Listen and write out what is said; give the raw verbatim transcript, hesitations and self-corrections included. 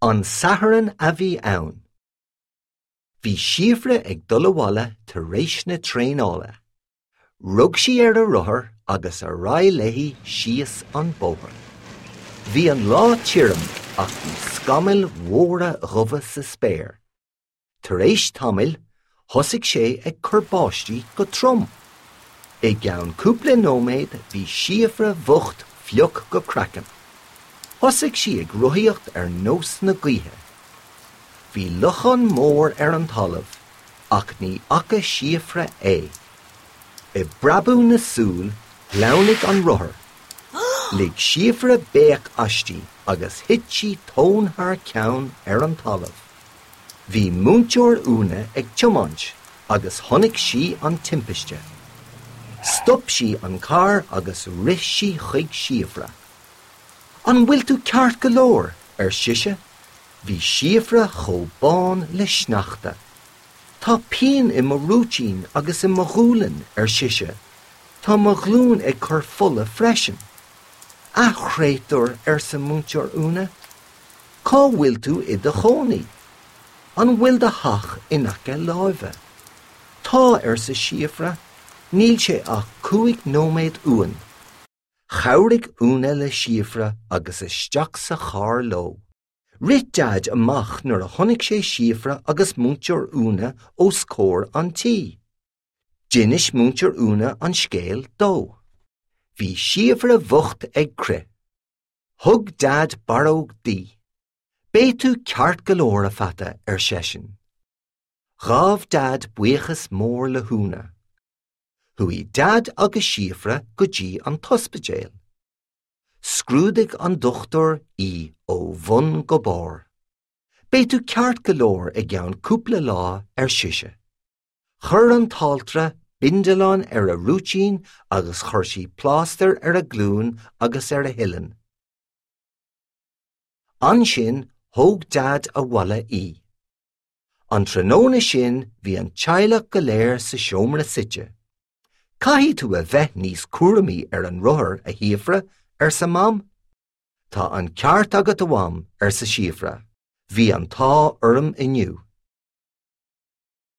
An Satharn a bhí ann. Bhí Síofra ag dul abhaile tar éis na traenála. Rug sí ar a rothar agus ar aghaidh léi síos an bóthar. Bhí an lá tirim ach bhí scamaill mhóra dhubha sa spéir. Tar éis tamaill, thosaigh sé ag cur báistí go trom. I gceann cúpla nóiméad bhí Síofra bhocht fliuch go craiceann. Thosaigh sí ag rothaíocht ar nós na gaoithe. Bhí lochán mór ar an talamh, ach ní fhaca Síofra é. I bpreabadh na súl shleamhnaigh an rothar. Lig Síofra béic aisti agus thit sí tóin thar ceann ar an talamh. Bhí múinteoir Úna ag tiomáint agus chonaic sí an timpiste. Stop sí an carr agus rith sí chuig Síofra. An bhfuil tú ceart go leor ar sise, bhí Síofra chomh bán le sneachta. Tá pian i mo rúitín agus i mo ghualainn ar sise, Tá mo ghlúin ag cur fola freisin. A chréatúir arsa múinteoir Úna, Cá bhfuil tú i do chónaí? An bhfuil do theach in aice láimhe. Tá arsa Síofra, níl sé ach cúig nóiméad uainn. Chabhraigh Úna le Síofra agus isteach sa charr leo. Rith Deaid amach nuair a chonaic sé Síofra agus múinteoir Úna os comhair an tí. D'inis múinteoir Úna an scéal dó. Bhí Síofra bhocht ag crith. Thug Deaid barróg di. Beidh tú ceart go leor a pheata ar seisean. Ghabh Deaid buíochas mór le hÚna. Chuaigh Deaid agus Síofra go dtí an t-ospidéal. Scrúdaigh an dochtúir í ó bhun go barr. Beidh tú ceart go leor i gceann cúpla lá ar sise. Chuir an t-altra bindealán ar a rúitín agus chuir sí plástar ar a glúin agus ar a huillinn. Ansin thóg Deaid abhaile í. An tráthnóna sin bhí an teaghlach go léir sa seomra suite. Caithfidh tú a bheith níos cúramaí ar an rothar a Shíofra arsa Mam? Tá an ceart agat a Mham arsa Síofra, Bhí an t-ádh orm inniu.